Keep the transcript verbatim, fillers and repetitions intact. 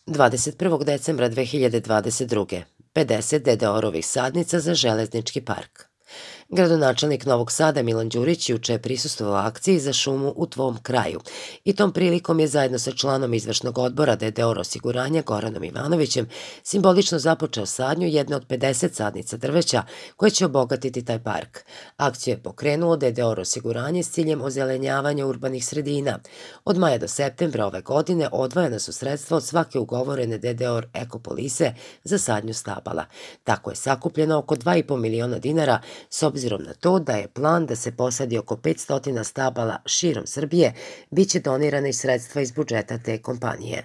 dvadeset prvog decembra dve hiljade dvadeset druge. pedeset D D O-rovih sadnica za železnički park. Gradonačelnik Novog Sada Milan Đurić juče je prisustvovao akciji za šumu u tvom kraju i tom prilikom je zajedno sa članom izvršnog odbora D D O osiguranja Goranom Ivanovićem simbolično započeo sadnju jedne od pedeset sadnica drveća koje će obogatiti taj park. Akciju je pokrenuo D D O osiguranje s ciljem ozelenjavanja urbanih sredina. Od maja do septembra ove godine odvojena su sredstva od svake ugovorene D D O ekopolise za sadnju stabala. Tako je sakupljeno oko dva i po miliona dinara, s obzirom na to da je plan da se posadi oko petsto stabala širom Srbije, biće donirane i sredstva iz budžeta te kompanije.